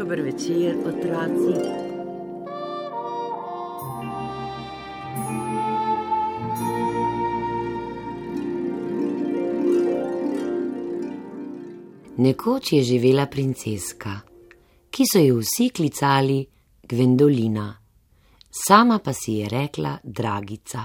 Dober večer, otroci. Nekoč je živela princeska, ki so jo vsi klicali Gvendolina, sama pa si je rekla Dragica.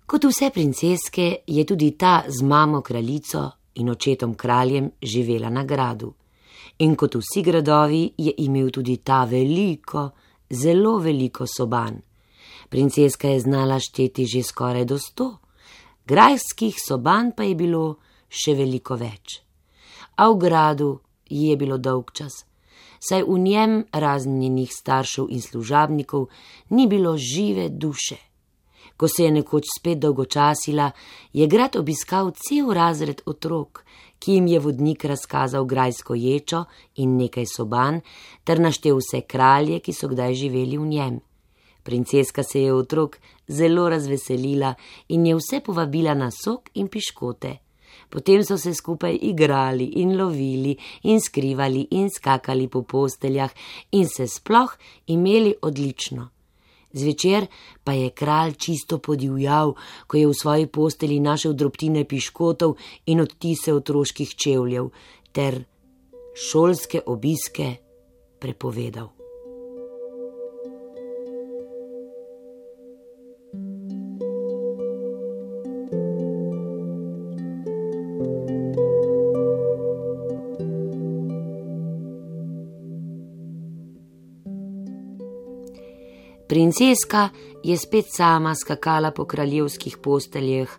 Kot vse princeske je tudi ta z mamo kraljico in očetom kraljem živela na gradu. In kot vsi gradovi je imel tudi ta veliko, zelo veliko soban. Princeska je znala šteti že skoraj do 100, grajskih soban pa je bilo še veliko več. A v gradu ji je bilo dolgčas, saj v njem razen njenih staršev in služabnikov ni bilo žive duše. Ko se je nekoč spet dolgočasila, je grad obiskal cel razred otrok, ki jim je vodnik razkazal grajsko ječo in nekaj soban, ter naštel vse kralje, ki so kdaj živeli v njem. Princeska se je otrok zelo razveselila in je vse povabila na sok in piškote. Potem so se skupaj igrali in lovili in skrivali in skakali po posteljah in se sploh imeli odlično. Zvečer pa je kralj čisto podivjal, ko je v svoji postelji našel drobtine piškotov in odtise otroških čevljev ter šolske obiske prepovedal. Princeska je spet sama skakala po kraljevskih posteljah,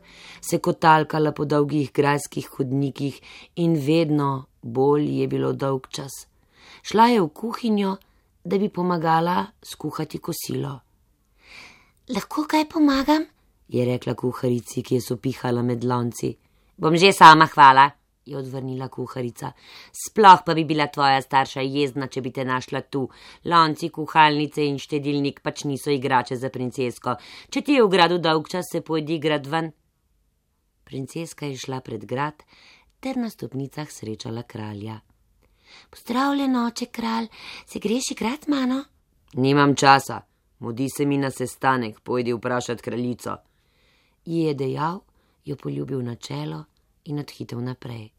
se kotalkala po dolgih grajskih hodnikih in vedno bolj je bilo dolgčas. Šla je v kuhinjo, da bi pomagala skuhati kosilo. Lahko kaj pomagam? Je rekla kuharici, ki je sopihala med lonci. Bom že sama, hvala, je odvrnila kuharica. Sploh pa bi bila tvoja starša jezna, če bi te našla tu. Lonci, kuhalnice in štedilnik pač niso igrače za princesko. Če ti je v gradu dolgčas, se pojdi grad ven. Princeska je šla pred grad ter na stopnicah srečala kralja. Pozdravljen, oče kralj, se greš igrat z mano? Nimam časa, mudi se mi na sestanek, pojdi vprašat kraljico. Ji je dejal, jo poljubil na čelo in odhitel naprej.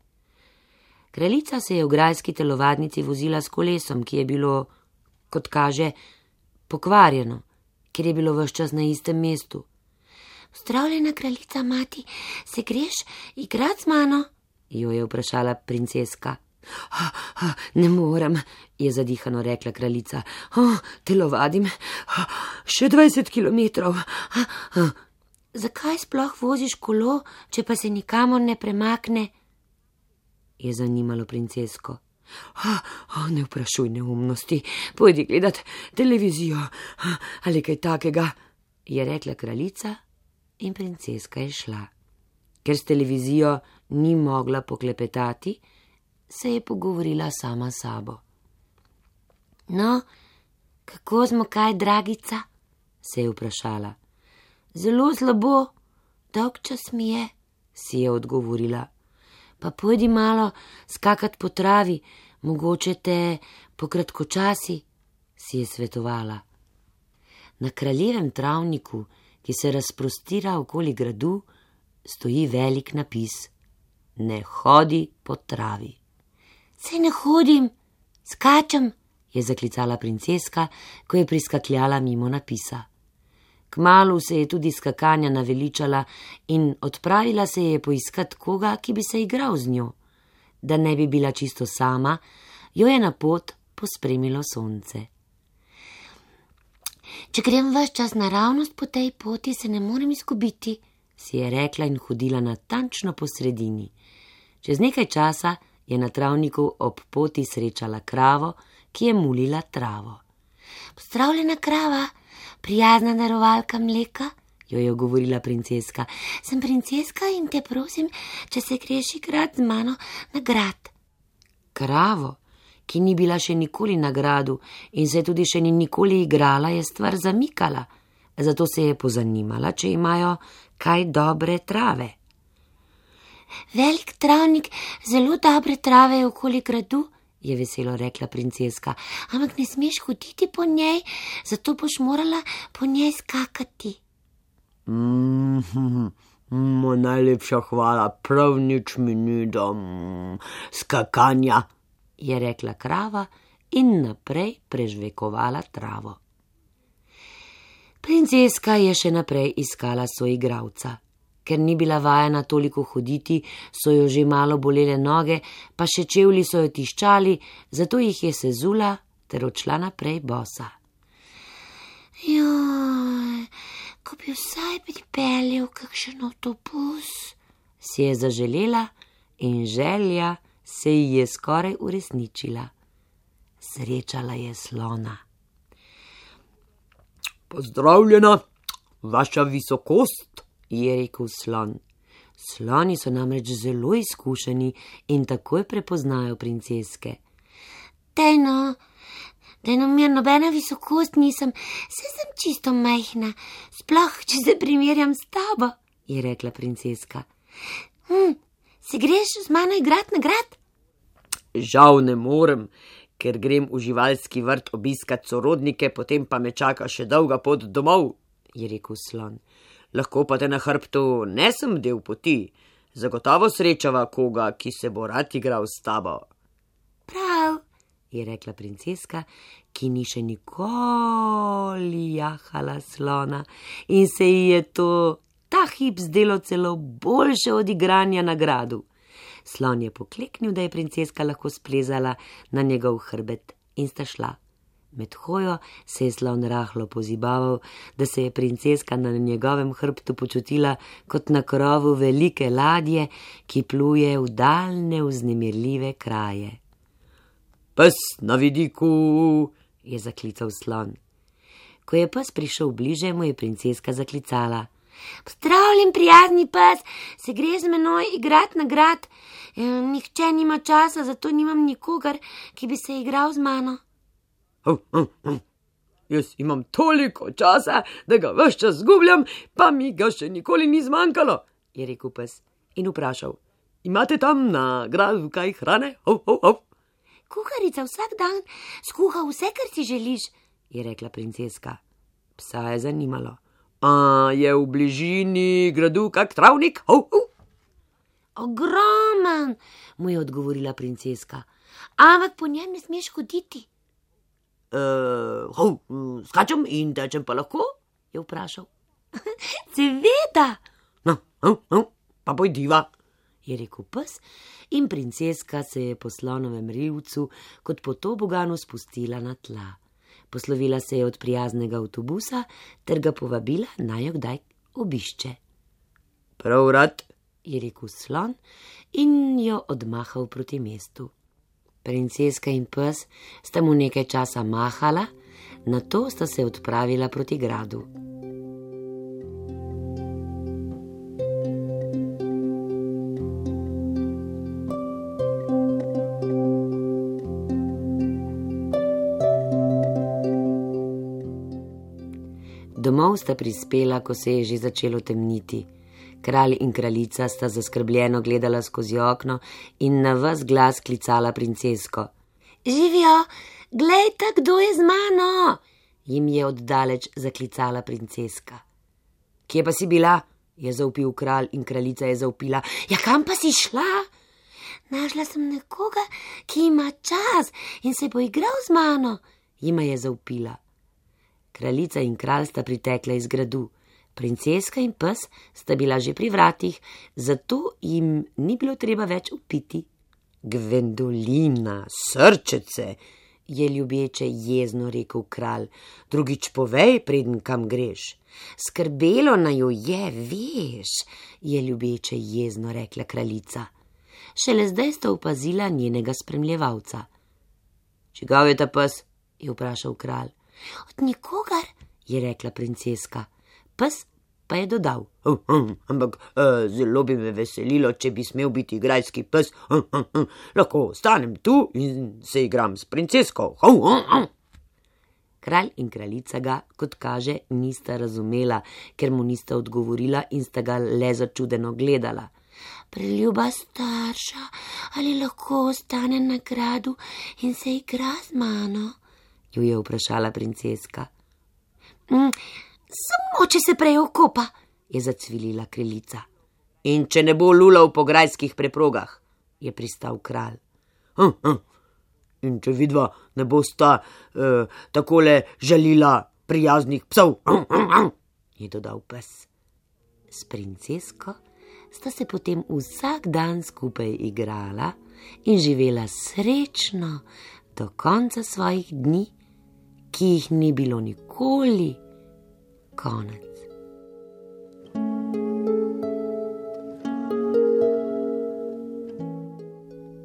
Kraljica se je v grajski telovadnici vozila s kolesom, ki je bilo, kot kaže, pokvarjeno, ker je bilo ves čas na istem mestu. Pozdravljena kraljica mati, se greš igrat z mano? Jo je vprašala princeska. Ne morem, je zadihano rekla kraljica. Telovadim še 20 kilometrov. Zakaj sploh voziš kolo, če pa se nikamor ne premakne? Je zanimalo princesko. Ne vprašuj neumnosti, pojdi gledat televizijo ali kaj takega, je rekla kraljica in princeska je šla. Ker s televizijo ni mogla poklepetati, se je pogovorila sama s sabo. No, kako smo kaj, Dragica? Se je vprašala. Zelo slabo, dolgčas mi je, si je odgovorila. Pa pojdi malo skakat po travi, mogoče te po kratkočasi, si je svetovala. Na kraljevem travniku, ki se razprostira okoli gradu, stoji velik napis. Ne hodi po travi. Saj ne hodim, skačem, je zaklicala princeska, ko je priskakljala mimo napisa. Kmalu se je tudi skakanja naveličala in odpravila se je poiskat koga, ki bi se igral z njo. Da ne bi bila čisto sama, jo je na pot pospremilo sonce. Če grem ves čas naravnost po tej poti, se ne morem izgubiti, si je rekla in hodila natančno po sredini. Čez nekaj časa je na travniku ob poti srečala kravo, ki je mulila travo. Pozdravljena krava, prijazna darovalka mleka, jo je govorila princeska. Sem princeska in te prosim, če se greš igrat z mano na grad. Kravo, ki ni bila še nikoli na gradu in se tudi še ni nikoli igrala, je stvar zamikala, zato se je pozanimala, če imajo kaj dobre trave. Velik travnik, zelo dobre trave je okoli gradu, je veselo rekla princeska, ampak ne smeš hoditi po njej, zato boš morala po njej skakati. Najlepša hvala, prav nič mi ni do skakanja, je rekla krava in naprej prežvekovala travo. Princeska je še naprej iskala soigralca. Ker ni bila vajena toliko hoditi, so jo že malo bolele noge, pa še čevlji so jo tiščali, zato jih je sezula ter odšla naprej bosa. Joj, ko bi vsaj pripeljal kakšen avtobus, si je zaželela in želja se ji je skoraj uresničila. Srečala je slona. Pozdravljena, vaša visokost, je rekel slon. Sloni so namreč zelo izkušeni in takoj prepoznajo princeske. Dajno, mir, nobena visokost nisem, saj sem čisto majhna, sploh, če se primerjam s tabo, je rekla princeska. Se greš z mano igrat na grad? Žal ne morem, ker grem v živalski vrt obiskat sorodnike, potem pa me čaka še dolga pot domov, je rekel slon. Lahko pa te na hrbtu nesem del poti, zagotovo srečava koga, ki se bo rad igral s tabo. Prav, je rekla princeska, ki ni še nikoli jahala slona in se ji je to ta hip zdelo celo boljše od igranja na gradu. Slon je pokleknil, da je princeska lahko splezala na njegov hrbet in sta šla. Med hojo se je slon rahlo pozibaval, da se je princeska na njegovem hrbtu počutila kot na krovu velike ladje, ki pluje v daljne vznemirljive kraje. Pes na vidiku, je zaklical slon. Ko je pes prišel bliže, mu je princeska zaklicala. Pozdravljen, prijazni pes, se greš z menoj igrat na grad? Nihče nima časa, zato nimam nikogar, ki bi se igral z mano. Jaz imam toliko časa, da ga ves čas zgubljam, pa mi ga še nikoli ni zmanjkalo, je rekel pes in vprašal. Imate tam na gradu kaj hrane? Kuharica vsak dan skuha vse, kar si želiš, je rekla princeska. Psa je zanimalo. Je v bližini gradu kak travnik? Ogromen, mu je odgovorila princeska, ampak po njem ne smeš hoditi. Skačem in tečem pa lahko? Je vprašal. Seveda. Pa pojdiva, je rekel pes in princeska se je po slonovem rivcu kot po toboganu spustila na tla. Poslovila se je od prijaznega avtobusa ter ga povabila, naj jo kdaj obišče. Prav rad, je rekel slon in jo odmahal proti mestu. Princeska in pes sta mu nekaj časa mahala, nato sta se odpravila proti gradu. Domov sta prispela, ko se je že začelo temniti. Kralj in kraljica sta zaskrbljeno gledala skozi okno in na ves glas klicala princesko. Živijo, glejte, kdo je z mano, jim je oddaleč zaklicala princeska. Kje pa si bila? Je zavpil kralj in kraljica je zavpila. Ja, kam pa si šla? Našla sem nekoga, ki ima čas in se bo igral z mano, jima je zavpila. Kraljica in kralj sta pritekla iz gradu. Princeska in pes sta bila že pri vratih, zato jim ni bilo treba več upiti. Gvendolina, srčece, je ljubeče jezno rekel kralj, drugič povej, preden kam greš. Skrbelo naju je, veš, je ljubeče jezno rekla kraljica. Šele zdaj sta opazila njenega spremljevalca. Čigav je ta pes? Je vprašal kralj. Od nikogar, je rekla princeska. Pes pa je dodal. Ampak zelo bi me veselilo, če bi smel biti grajski pes. Lahko ostanem tu in se igram s princesko. Kralj in kraljica ga, kot kaže, nista razumela, ker mu nista odgovorila in sta ga le začudeno gledala. Preljuba starša, ali lahko ostane na gradu in se igra z mano? Jo je vprašala princeska. Samo, če se prej okopa, je zacvilila kraljica. In če ne bo lulal po grajskih preprogah, je pristal kralj. In če vidva ne bosta takole žalila prijaznih psov, je dodal pes. S princesko sta se potem vsak dan skupaj igrala in živela srečno do konca svojih dni, ki jih ni bilo nikoli konec.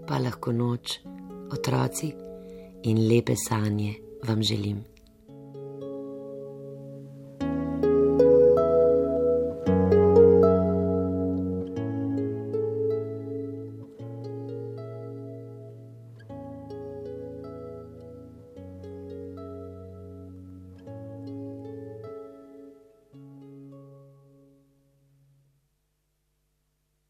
Pa lahko noč, otroci, in lepe sanje vam želim.